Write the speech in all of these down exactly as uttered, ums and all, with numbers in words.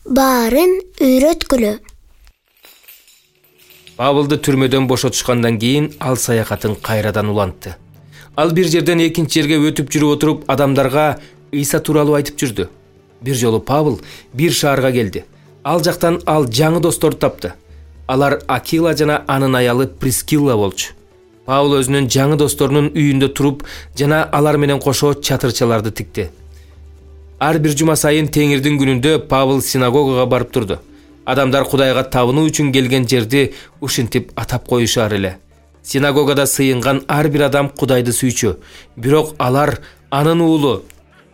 баарын үйрөткүлө. Павылды түрмөдөн бошотушкандан кийин ал саякатын кайрадан улантты. Ал бир жерден экинчи жерге өтүп жүрүп отуруп адамдарга Ыйса тууралуу айтып жүрдү. Бир жолу Павыл бир шаарга келди. Ал жактан ал жаңы досторду тапты. Алар Акила жана анын аялы Прискилла болчу. Павыл өзүнүн жаңы досторунун үйүндө туруп жана алар менен кошо чатырчаларды тикти. Ар бир жума сайын теңирдин күнүндө Павыл синагогага барып турду. Адамдар Кудайга табынуу үчүн келген жерди ушинтип атап коюшар эле. Синагогада сыйынган ар бир адам Кудайды сүйчү, бирок алар анын уулу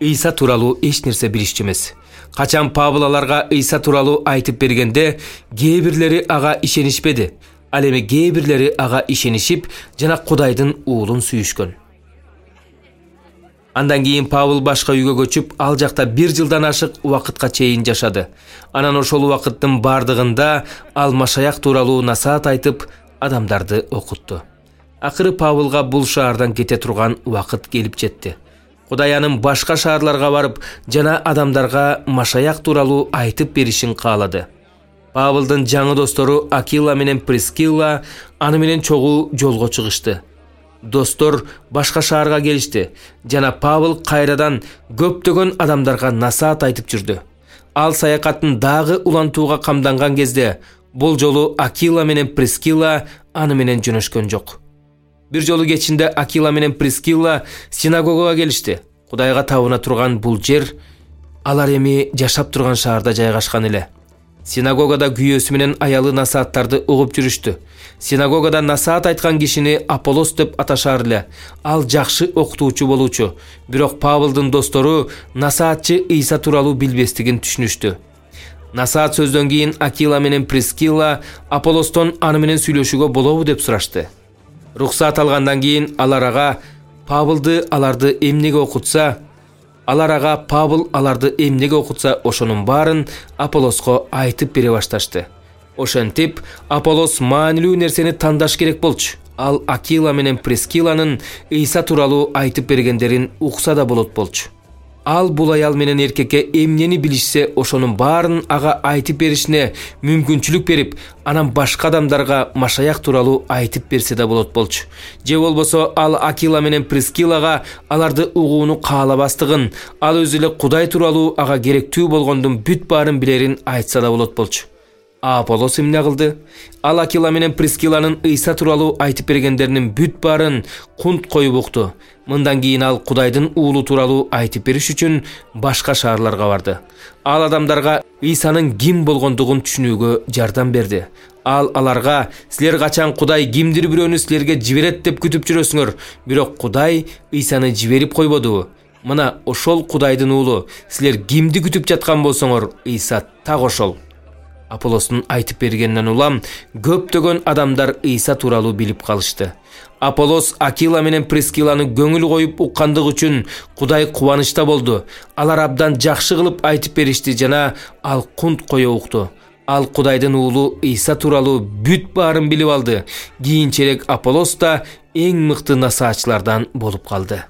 Ыйса тууралуу эч нерсе билишчү эмес. Качан Павыл аларга Ыйса тууралуу айтып бергенде, кээ бирлери ага ишенишпеди. Ал эми кээ бирлери ага ишенишип жана Кудайдын уулун сүйүшкөн. Андан кийин Павыл башка үйгө көчүп, ал жакта бир жылдан ашык убакытка чейин жашады. Анан ошол убакыттын бардыгында ал Машаяк тууралуу насаат айтып, адамдарды окутту. Акыры Павылга бул шаардан кете турган убакыт келип жетти. Кудай анын башка шаарларга барып жана адамдарга Машаяк тууралуу айтып беришин каалады. Павылдын жаңы достору Акила менен Прискилла аны менен чогуу жолго чыгышты. Достор башка шаарга келишти жана Павыл кайрадан көптөгөн адамдарга насаат айтып жүрдү. Ал саякатын дагы улантууга камданган кезде бул жолу Акила менен Прискилла аны менен жөнөшкөн жок. Бир жолу кечинде Акила менен Прискилла синагогага келишти. Кудайга табына турган бул жер алар эми жашап турган шаарда жайгашкан эле. Синагогада күйөөсү менен аялы насааттарды угуп жүрүштү. Синагогада насаат айткан кишини Аполлос деп аташар эле. Ал жакшы окутуучу болуучу, бирок Павылдын достору насаатчы Ыйса тууралуу билбестигин түшүнүштү. Насаат сөздөн кийин Акила менен Прискилла Аполлостон аны менен сүйлөшүүгө болобу деп сурашты. Рухсат алгандан кийин алар ага Павылды аларды эмнеге окутса, алар ага Павыл аларды эмнеге окутса, ошонун баарын Аполлоско айтып бере башташты. Ошентип, Аполлос маанилүү нерсени тандаш керек болчу. Ал Акила менен Прискиланын Ыйса тууралуу айтып бергендерин укса да болот болчу. Ал бул аял менен эркекке эмнени билишсе, ошонун баарын ага айтып беришине мүмкүнчүлүк берип, анан башка адамдарга Машаяк тууралуу айтып берсе да болот болчу. Же болбосо ал Акила менен Прискилага аларды угууну каалабастыгын, ал өзү эле Кудай тууралуу ага керектүү болгондун бүт баарын билерин айтса да болот болчу. А Аполлос эмне кылды? Ал Акила менен Прискиланын Ыйса тууралуу айтып бергендеринин бүт баарын кунт коюп укту. Мындан кийин ал Кудайдын уулу тууралуу айтып бериш үчүн башка шаарларга барды. Ал адамдарга Ыйсанын ким болгондугун түшүнүүгө жардам берди. Ал аларга: "Силер качан Кудай кимдир бирөөнү силерге жиберет деп күтүп жүрөсүңөр, бирок Кудай Ыйсаны жиберип койбодубу? Мына ошол Кудайдын уулу. Силер кимди күтүп жаткан болсоңор, Ыйса так ошол." Аполлостун айтып бергенинен улам көптөгөн адамдар Ыйса тууралуу билип калышты. Аполлос Акила менен Прискиланы көңүл коюп уккандык үчүн Кудай кубанычта болду. Алар абдан жакшы кылып айтып беришти жана ал кунт кое укту. Ал Кудайдын уулу Ыйса тууралуу бүт баарын билип алды. Кийинчерээк Аполлос да эң мыкты насаатчылардан болуп калды.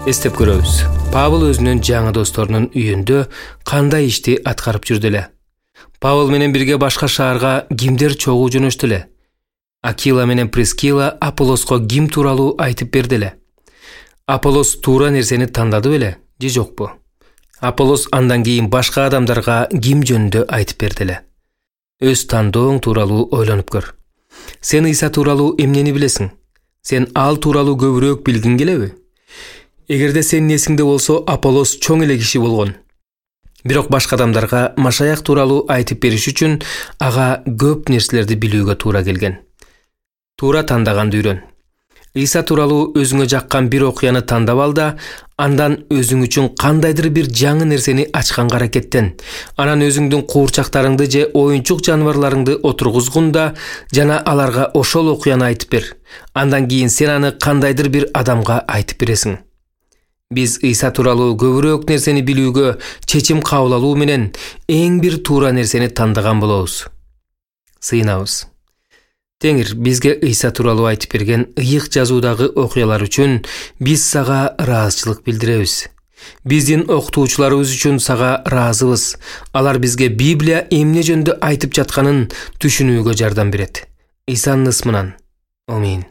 Эстеп көрөбүз. Павыл өзүнүн жаңы досторунун үйүндө кандай ишти аткарып жүрдү эле. Павыл менен бирге башка шаарга кимдер чогуу жөнөштү эле. Акила менен Прискила Аполлоско ким тууралуу айтып берди эле. Аполлос туура нерсени тандады беле же жокпу? Аполлос андан кийин башка адамдарга ким жөнүндө айтып берди эле. Өз тандооң тууралуу ойлонуп көр. Сен Ыйса тууралуу эмнени билесиң? Сен ал тууралуу көбүрөөк билгиң келеби? Эгерде сенин эсиңде болсо, Аполлос чоң эле киши болгон. Бирок башка адамдарга Машаяк тууралуу айтып бериш үчүн ага көп нерселерди билүүгө туура келген. Туура тандаганды үйрөн. Ыйса тууралуу өзүңө жаккан бир окуяны тандап ал да, андан өзүң үчүн кандайдыр бир жаңы нерсени ачканга аракеттен. Анан өзүңдүн куурчактарыңды же оюнчук жаныбарларыңды отургузгун да жана аларга ошол окуяны айтып бер. Андан кийин сен аны кандайдыр бир адамга айтып бересиң. Биз Ыйса тууралуу көбүрөөк нерсени билүүгө чечим кабыл алуу менен эң бир туура нерсени тандаган болобуз. Сыйынабыз. Теңир бизге Ыйса тууралуу айтып берген ыйык жазуудагы окуялар үчүн биз сага ыраазычылык билдиребиз. Биздин окутуучуларыбыз үчүн сага ыраазыбыз. Алар бизге Библия эмне жөнүндө айтып жатканын түшүнүүгө жардам берет. Ыйсанын ысмынан. Амин.